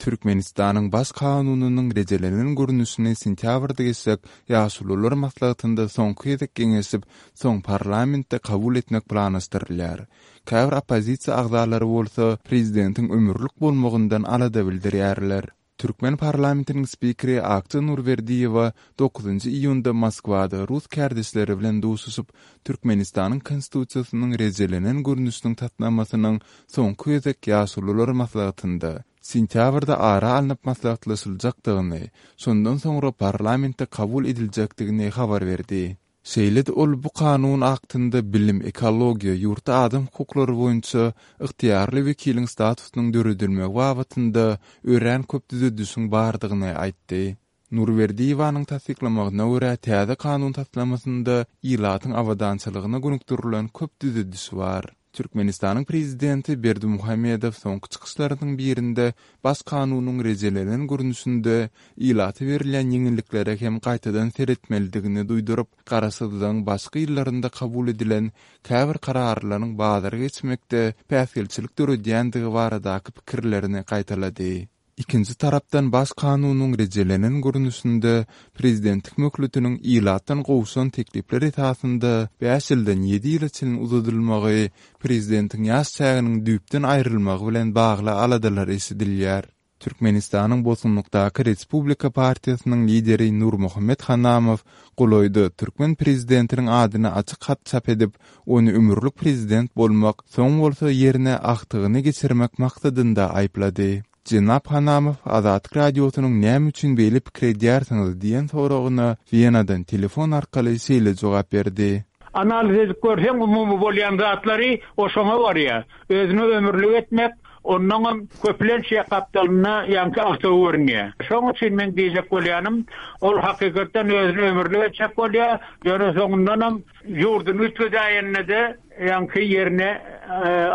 Türkmenistanyň Baş kanunynyň rejelenen görnüşini sentýabrda geçjek Ýaşulular maslahatynda soňky gezek geňeşip, soň parlamentde kabul etmek planlaşdyrylýar. Käbir oppozisiýa agzalary bolsa prezidentiň ömürlik bolmagyndan alada bildirýärler. Türkmen parlamentiniň spikeri Akja Nurberdiýewa dokuzynjy iýunda Moskwada rus kärdeşleri bilen duşuşyp, Türkmenistanyň Konstitusiýasynyň rejelenen görnüşiniň taslamasynyň soňky gezek Ýaşulular maslahatynda, sentýabrda ara alnyp maslahatlaşyljakdygyny, şondan soňra parlamentde kabul ediljekdigini habar berdi. Şeýle-de ol bu kanun aktynda bilim, ekologiýa, ýurtda adam hukuklary boýunça ygtyýarly wekiliň statusynyň döredilmegi babatynda örän köp düzedişiň bardygyny aýtdy. Nurberdiýewanyň tassyklamagyna görä, täze kanun taslamasynda ilatyň abadançylygyna gönükdirilen köp düzediş bar. Türkmenistanyň prezidenti Berdimuhamedow soňky çykyşlarynyň birinde Baş kanunyň rejelenen görnüşinde ilata berilýän ýeňilliklere hem gaýtadan seretmelidigini duýduryp, garaşsyzlygyň başky ýyllarynda kabul edilen käbir kararlaryň bazara geçmekde päsgelçilik döredýändigi baradaky pikirlerini gaýtalady. Ikinji tarapdan Baş kanunyň rejelenen görnüşinde prezidentlik möhletiniň ilatdan gowşan teklipler esasynda bäş ýyldan ýedi ýyla çenli uzadylmagy prezidentiň ýaş çäginiň düýpden aýrylmagy bilen bagly aladalar eşidilýär. Türkmenistanyň bosgunlykdaky Respublika partiýasynyň lideri Nurmuhammet Hanamow golaýda türkmen prezidentiniň adyna açyk hat çap edip, ony ömürlik prezident bolmak, soň bolsa ýerine agtygyny geçirmek maksadynda aýyplady. Jenap Hanamow Azatlyk Radiosynyň näme üçin beýle pikir edýärsiňiz diýen soragyna Wenadan telefon arkaly şeýle jogap berdi. Analiz edip görseň umumy bolýan zatlary o şoňa barýar. Özüni ömürlik etmek, onnoňam köplenç ýa gapdalynda ýaňky agtygy görünýär. Şoň üçin meň diýjek bolýanym, ol hakykatdan özüni ömürlik etjek bolýar, ýöne soňundanam ýurduny üýtgedäýende-de ýaňky ýerine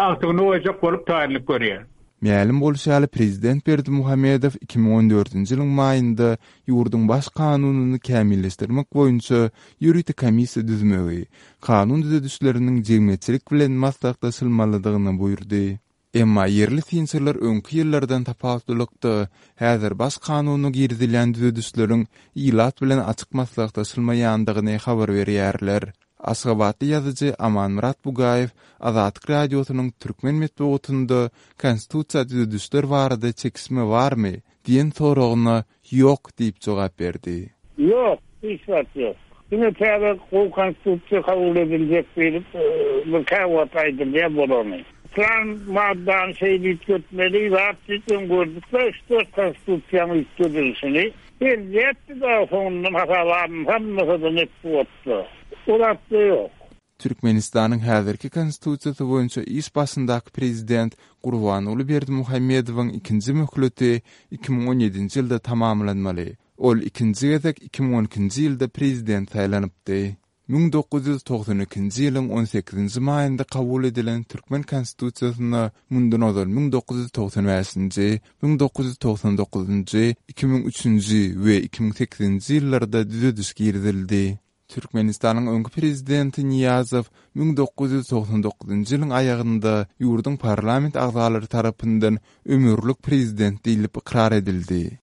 agtygyny goýjak bolup taýynlyk görýär. Mälim bolşy ýaly, prezident Berdimuhamedow 2014-nji ýylyň maýynda ýurduň Baş kanunyny kämilleşdirmek boýunça ýörite komissiýa düzmegi, kanun düzedişleriniň jemgyýetçilik bilen maslahatlaşylmalydygyny buýurdy. Emma ýerli synçylar öňki ýyllardan tapawutlylykda, häzir Baş kanuna girizilýän düzedişleriň ilat bilen açyk maslahatlaşylmaýandygyny habar berýärler. Aşgabatly ýazyjy Amanmyrat Bugaýew Azatlyk Radiosynyň türkmen metbugatynda Konstitusiýa düzedişler barada çekişme barmy? diýen soragyna Ýok diýip jogap berdi. Ýok, hiç zat ýok. Diňe täze gowy Konstitusiýa kabul ediljek diýlip, bir käwagt aýdylýar bolany. Plan maddany şeýle üýtgetmeli zat diýip öň gördük-de, üç-dört Konstitusiýanyň üýtgedilişini. Edilýärdi dagy soňundan hasaba alynsa alynmasa-da metbugatda. O zatda ýok. Türkmenistanyň häzirki Konstitusiýasy boýunça iş başyndaky prezident Gurbanguly Berdimuhamedowyň ikinji möhleti 2017-nji ýylda tamamlanmaly. Ol ikinji gezek 2012-nji ýylda prezident saýlanypdy. 1992-nji ýylyň on sekizinji maýynda kabul edilen türkmen Konstitusiýasyna mundan ozal 1995-nji, 1999-njy, 2003-nji we 2008-nji ýyllarda düzediş girizildi. Türkmenistanyň öňki prezidenti Nyýazow 1999-njy ýylyň aýagynda ýurduň parlament agzalary tarapyndan ömürlik prezident diýlip ykrar edildi.